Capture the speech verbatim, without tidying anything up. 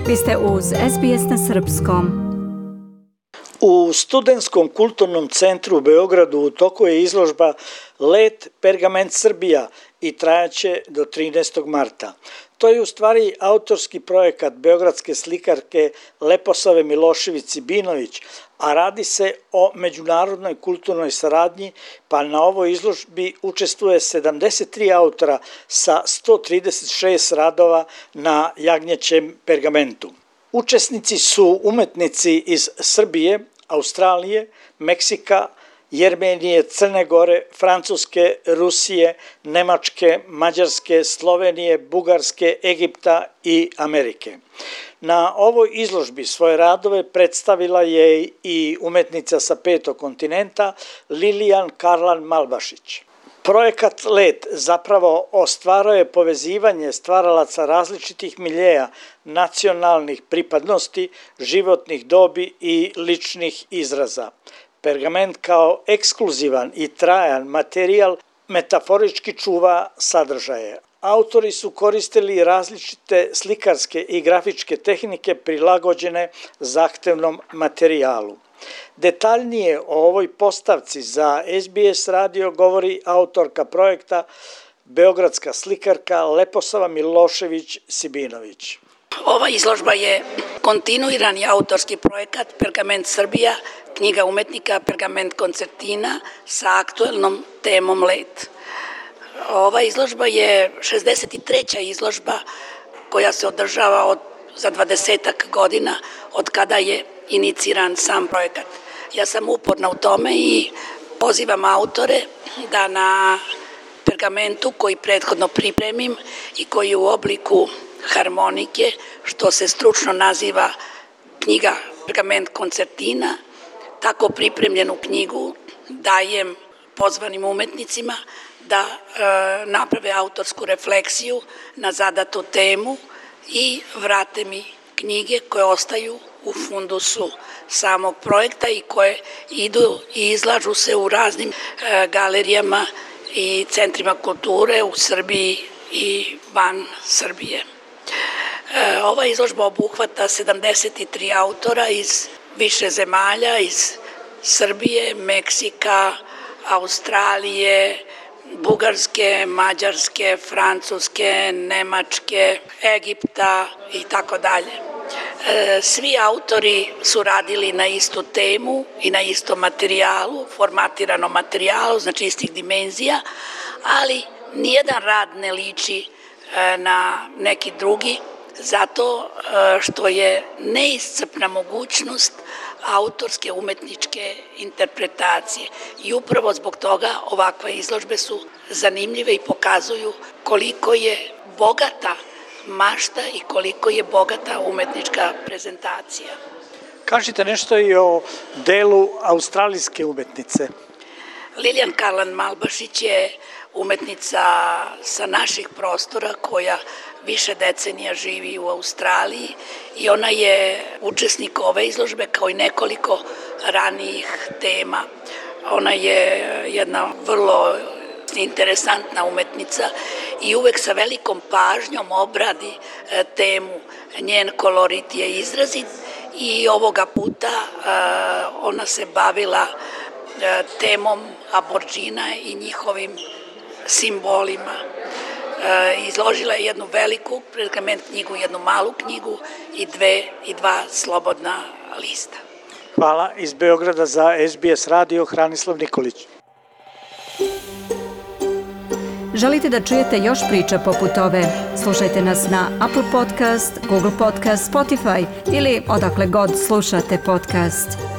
Vi ste uz es be es na srpskom. U Studentskom kulturnom centru u Beogradu u toku je izložba Let Pergament Srbija i trajaće do trinaestog marta. To je u stvari autorski projekat beogradske slikarke Leposave Milošević-Sibinović, a radi se o međunarodnoj kulturnoj saradnji, pa na ovoj izložbi učestvuje sedamdeset tri autora sa sto trideset šest radova na jagnjećem pergamentu. Učesnici su umetnici iz Srbije, Australije, Meksika, Jermenije, Crne Gore, Francuske, Rusije, Nemačke, Mađarske, Slovenije, Bugarske, Egipta i Amerike. Na ovoj izložbi svoje radove predstavila je i umetnica sa petog kontinenta Lilijan Karlan Malbašić. Projekat Let zapravo ostvaruje povezivanje stvaralaca različitih miljeja, nacionalnih pripadnosti, životnih dobi i ličnih izraza. Pergament kao ekskluzivan i trajan materijal metaforički čuva sadržaje. Autori su koristili različite slikarske i grafičke tehnike prilagođene zahtevnom materijalu. Detaljnije o ovoj postavci za es be es radio govori autorka projekta, beogradska slikarka Leposava Milošević-Sibinović. Ova izložba je kontinuirani autorski projekat Pergament Srbija, knjiga umetnika Pergament koncertina sa aktuelnom temom Let. Ova izložba je šezdeset treća izložba koja se održava od, za dvadesetak godina od kada je iniciran sam projekat. Ja sam uporna u tome i pozivam autore da na pergamentu koji prethodno pripremim i koji je u obliku harmonike, što se stručno naziva knjiga Pergament koncertina, tako pripremljenu knjigu dajem pozvanim umetnicima da e, naprave autorsku refleksiju na zadatu temu i vrate mi knjige koje ostaju u fundusu samog projekta i koje idu i izlažu se u raznim e, galerijama i centrima kulture u Srbiji i van Srbije. E, ova izložba obuhvata sedamdeset tri autora iz više zemalja, iz Srbije, Meksika, Australije, Bugarske, Mađarske, Francuske, Nemačke, Egipta i tako dalje. Svi autori su radili na istu temu i na istom materijalu, formatiranom materijalu, znači istih dimenzija, ali nijedan rad ne liči na neki drugi, zato što je neiscrpna mogućnost autorske umetničke interpretacije. I upravo zbog toga ovakve izložbe su zanimljive i pokazuju koliko je bogata mašta i koliko je bogata umetnička prezentacija. Kažite nešto i o delu australijske umetnice. Lilijan Karlan Malbašić je umetnica sa naših prostora koja više decenija živi u Australiji i ona je učesnik ove izložbe kao i nekoliko ranijih tema. Ona je jedna vrlo interesantna umetnica i uvek sa velikom pažnjom obradi temu. Njen kolorit je izrazit i ovoga puta ona se bavila temom aborđina i njihovim simbolima. Izložila je jednu veliku pergament knjigu, jednu malu knjigu i dve i dva slobodna lista. Hvala. Iz Beograda za es be es radio Hranislav Nikolić. Želite da čujete još priča poput ove? Slušajte nas na Apple Podcast, Google Podcast, Spotify ili odakle god slušate podcast.